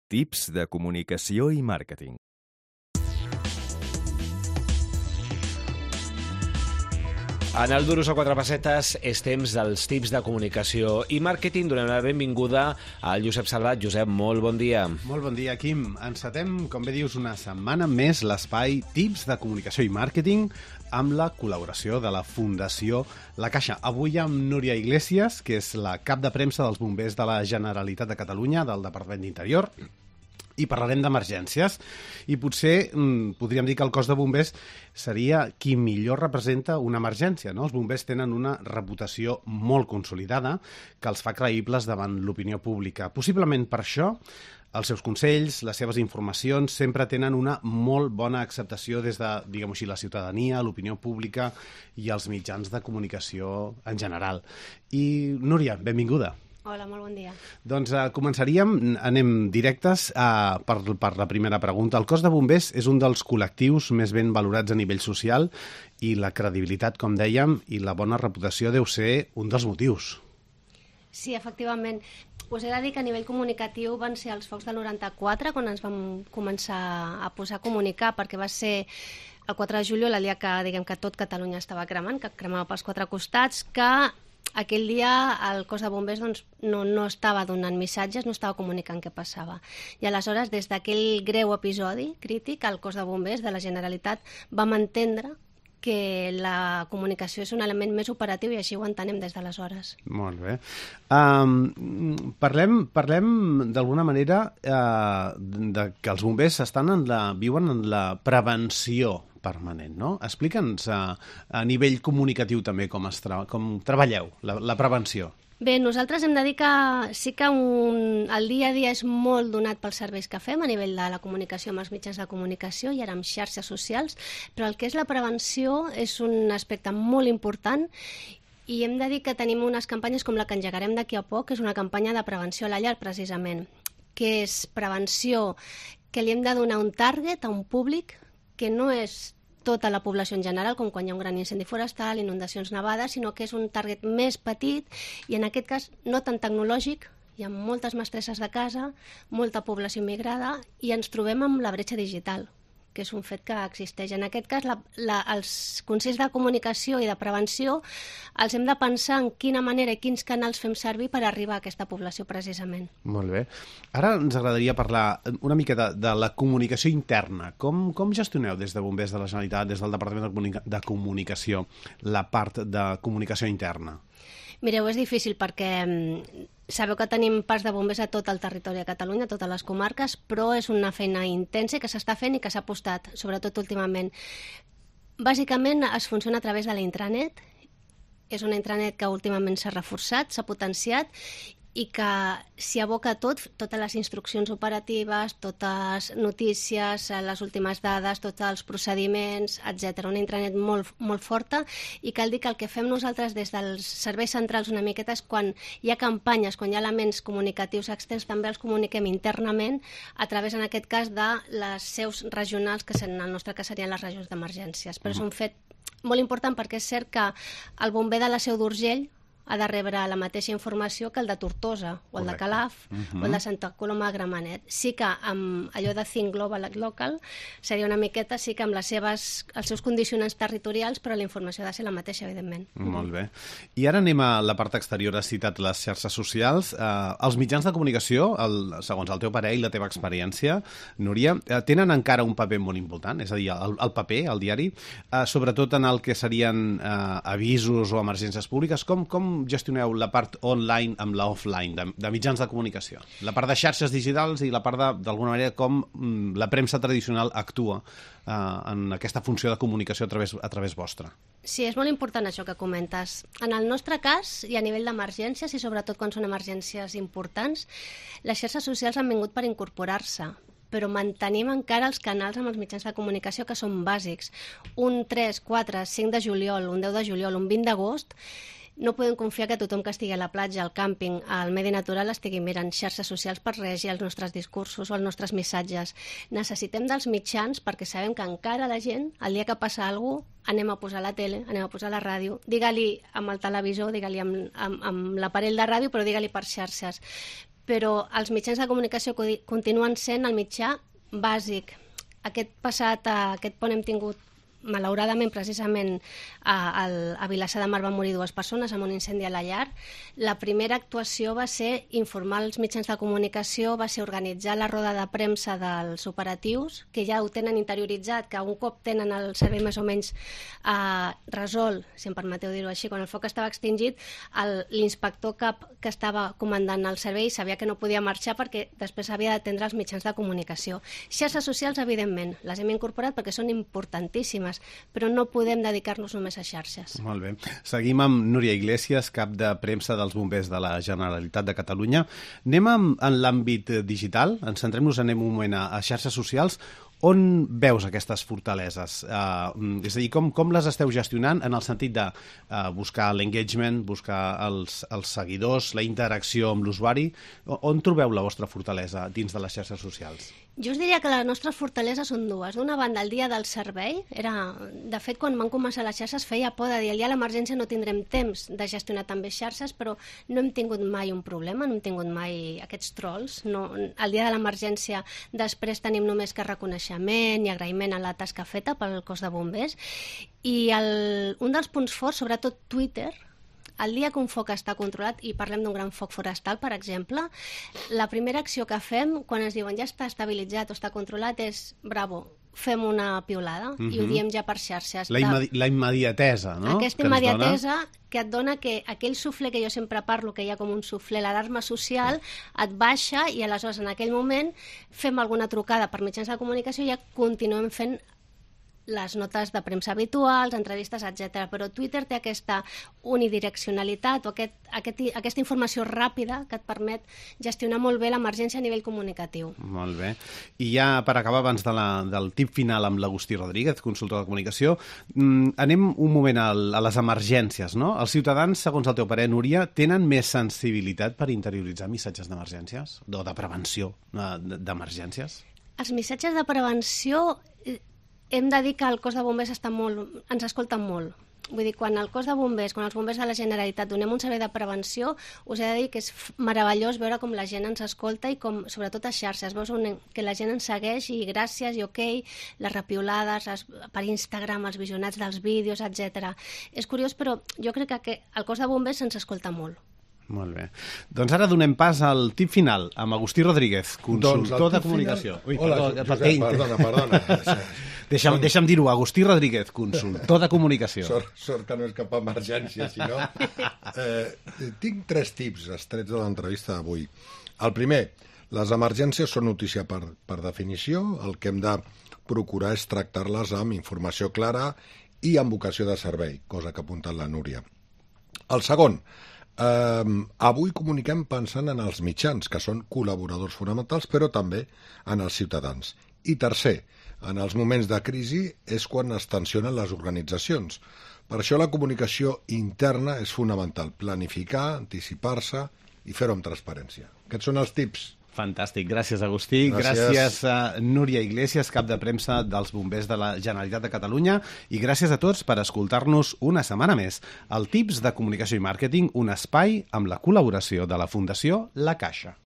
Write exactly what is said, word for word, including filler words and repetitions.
Tips de comunicació i màrqueting. En el Duros a quatre pessetes és temps dels tips de comunicació i màrqueting. Donem la benvinguda al Josep Salvat. Josep, molt bon dia. Molt bon dia, Quim. Encetem, com bé dius, una setmana més l'espai Tips de comunicació i màrqueting amb la col·laboració de la Fundació La Caixa. Avui amb Núria Iglesias, que és la cap de premsa dels bombers de la Generalitat de Catalunya, del Departament d'Interior, i parlarem d'emergències. I potser mm, podríem dir que el cos de bombers seria qui millor representa una emergència, no? Els bombers tenen una reputació molt consolidada que els fa creïbles davant l'opinió pública. Possiblement per això els seus consells, les seves informacions sempre tenen una molt bona acceptació des de, diguem-ho així, la ciutadania, l'opinió pública i els mitjans de comunicació en general. I, Núria, benvinguda. Hola, molt bon dia. Doncs uh, començaríem, anem directes uh, per, per la primera pregunta. El cos de bombers és un dels col·lectius més ben valorats a nivell social i la credibilitat, com dèiem, i la bona reputació deu ser un dels motius. Sí, efectivament. Us he de dir que a nivell comunicatiu van ser els focs del noranta-quatre quan ens vam començar a posar a comunicar, perquè va ser el quatre de juliol, el dia que, diguem, que tot Catalunya estava cremant, que cremava pels quatre costats, que aquell dia el cos de bombers doncs, no, no estava donant missatges, no estava comunicant què passava. I aleshores, des d'aquell greu episodi crític, el cos de bombers de la Generalitat vam entendre que la comunicació és un element més operatiu i així ho entenem des d'aleshores. Molt bé. Um, parlem parlem d'alguna manera uh, de que els bombers estan en la, viuen en la prevenció permanent, no? Explica'ns a, a nivell comunicatiu també com, es tra com treballeu la, la prevenció. Bé, nosaltres hem de dir que sí que un, el dia a dia és molt donat pels serveis que fem a nivell de la comunicació amb els mitjans de comunicació i ara amb xarxes socials, però el que és la prevenció és un aspecte molt important i hem de dir que tenim unes campanyes com la que engegarem d'aquí a poc, que és una campanya de prevenció a la llar, precisament, que és prevenció que li hem de donar un target a un públic que no és tota la població en general, com quan hi ha un gran incendi forestal, inundacions nevades, sinó que és un target més petit i en aquest cas no tan tecnològic. Hi ha moltes mestresses de casa, molta població immigrada i ens trobem amb la bretxa digital, que és un fet que existeix. En aquest cas, la, la, els consells de comunicació i de prevenció els hem de pensar en quina manera i quins canals fem servir per arribar a aquesta població, precisament. Molt bé. Ara ens agradaria parlar una mica de, de la comunicació interna. Com, com gestioneu des de Bombers de la Generalitat, des del Departament de, Comunica de Comunicació, la part de comunicació interna? Mireu, és difícil perquè sabeu que tenim parcs de bombers a tot el territori de Catalunya, a totes les comarques, però és una feina intensa que s'està fent i que s'ha apostat, sobretot últimament. Bàsicament es funciona a través de la intranet. És una intranet que últimament s'ha reforçat, s'ha potenciat i que s'hi aboca tot, totes les instruccions operatives, totes notícies, les últimes dades, tots els procediments, etcètera. Una intranet molt, molt forta i cal dir que el que fem nosaltres des dels serveis centrals una miqueta és quan hi ha campanyes, quan hi ha elements comunicatius externs, també els comuniquem internament a través, en aquest cas, de les seus regionals, que en el nostre cas serien les regions d'emergències. Però és un fet molt important perquè és cert que el bomber de la Seu d'Urgell ha de rebre la mateixa informació que el de Tortosa, o el de Calaf, uh-huh. o el de Santa Coloma de Gramenet. Sí que amb allò de Think Global Local seria una miqueta, sí que amb les seves, els seus condicionants territorials, però la informació ha de ser la mateixa, evidentment. Molt bé. I ara anem a la part exterior. Has citat les xarxes socials. Eh, els mitjans de comunicació, el, segons el teu parer i la teva experiència, Núria, eh, tenen encara un paper molt important, és a dir, el, el paper, el diari, eh, sobretot en el que serien eh, avisos o emergències públiques. Com, com gestioneu la part online amb la offline, de, de mitjans de comunicació? La part de xarxes digitals i la part de, d'alguna manera, com mm, la premsa tradicional actua eh, en aquesta funció de comunicació a través, a través vostra. Sí, és molt important això que comentes. En el nostre cas, i a nivell d'emergències, i sobretot quan són emergències importants, les xarxes socials han vingut per incorporar-se, però mantenim encara els canals amb els mitjans de comunicació que són bàsics. Un tres, quatre, cinc de juliol, un deu de juliol, un vint d'agost, no podem confiar que tothom que estigui a la platja, al càmping, al medi natural, estigui mirant xarxes socials per reagir als nostres discursos o als nostres missatges. Necessitem dels mitjans perquè sabem que encara la gent, el dia que passa alguna cosa, anem a posar la tele, anem a posar la ràdio, digue-li amb el televisor, digue-li amb, amb, amb l'aparell de ràdio, però digue-li per xarxes. però els mitjans de comunicació continuen sent el mitjà bàsic. Aquest passat, aquest pont hem tingut malauradament, precisament, a, a Vilassar de Mar van morir dues persones amb un incendi a la llar. La primera actuació va ser informar els mitjans de comunicació, va ser organitzar la roda de premsa dels operatius, que ja ho tenen interioritzat, que un cop tenen el servei més o menys eh, resolt, si em permeteu dir-ho així, quan el foc estava extingit, l'inspector cap que estava comandant el servei sabia que no podia marxar perquè després havia d'atendre els mitjans de comunicació. Xarxes socials, evidentment, les hem incorporat perquè són importantíssimes, però no podem dedicar-nos només a xarxes. Molt bé. Seguim amb Núria Iglesias, cap de premsa dels bombers de la Generalitat de Catalunya. Anem amb, en l'àmbit digital, ens centrem-nos, anem un moment a, a xarxes socials. On veus aquestes fortaleses? Uh, és a dir, com, com les esteu gestionant en el sentit de uh, buscar l'engagement, buscar els, els seguidors, la interacció amb l'usuari? On trobeu la vostra fortalesa dins de les xarxes socials? Jo us diria que les nostres fortaleses són dues. D'una banda, el dia del servei. Era, de fet, quan van començar les xarxes feia por de dir el dia de l'emergència no tindrem temps de gestionar també xarxes, però no hem tingut mai un problema, no hem tingut mai aquests trolls. No, el dia de l'emergència després tenim només que reconeixement i agraïment a la tasca feta pel cos de bombers. I el, un dels punts forts, sobretot Twitter, el dia que un foc està controlat, i parlem d'un gran foc forestal, per exemple, la primera acció que fem, quan ens diuen ja està estabilitzat o està controlat, és bravo, fem una piulada, uh-huh. i ho diem ja per xarxes. La, immedi la immediatesa, no? Aquesta que immediatesa que et dona que aquell suflé que jo sempre parlo, que hi ha com un suflé, l'alarma social, et baixa i aleshores en aquell moment fem alguna trucada per mitjans de comunicació i ja continuem fent les notes de premsa habituals, entrevistes, etcètera. Però Twitter té aquesta unidireccionalitat o aquest, aquest, aquesta informació ràpida que et permet gestionar molt bé l'emergència a nivell comunicatiu. Molt bé. I ja per acabar, abans de la, del tip final amb l'Agustí Rodríguez, consultor de comunicació, mmm, anem un moment a, a les emergències, no? Els ciutadans, segons el teu parer, Núria, tenen més sensibilitat per interioritzar missatges d'emergències o de prevenció d'emergències? Els missatges de prevenció... Hem de dir que el cos de bombers està molt, ens escolten molt. Vull dir, quan el cos de bombers, quan els bombers de la Generalitat donem un servei de prevenció, us he de dir que és meravellós veure com la gent ens escolta i com, sobretot a xarxes, veus un, que la gent ens segueix i gràcies i ok, les repiolades, les, per Instagram, els visionats dels vídeos, etcètera. És curiós, però jo crec que el cos de bombers ens escolta molt. Molt bé. Doncs ara donem pas al tip final amb Agustí Rodríguez, consultor doncs de comunicació. Final... Ui, Hola, perdó, Josep, perdona, perdona. Deixa'm, deixa'm dir-ho, Agustí Rodríguez, consultor de comunicació. Sort, sort que no és cap emergència, si no... Eh, tinc tres tips estrets de l'entrevista d'avui. El primer, les emergències són notícia per, per definició. El que hem de procurar és tractar-les amb informació clara i amb vocació de servei, cosa que ha apuntat la Núria. El segon, Uh, avui comuniquem pensant en els mitjans, que són col·laboradors fonamentals, però també en els ciutadans. I tercer, en els moments de crisi és quan es tensionen les organitzacions. Per això la comunicació interna és fonamental, planificar, anticipar-se i fer-ho amb transparència. Aquests són els tips. Fantàstic, gràcies Agustí, gràcies, gràcies a Núria Iglesias, cap de premsa dels bombers de la Generalitat de Catalunya, i gràcies a tots per escoltar-nos una setmana més. El Tips de Comunicació i Màrqueting, un espai amb la col·laboració de la Fundació La Caixa.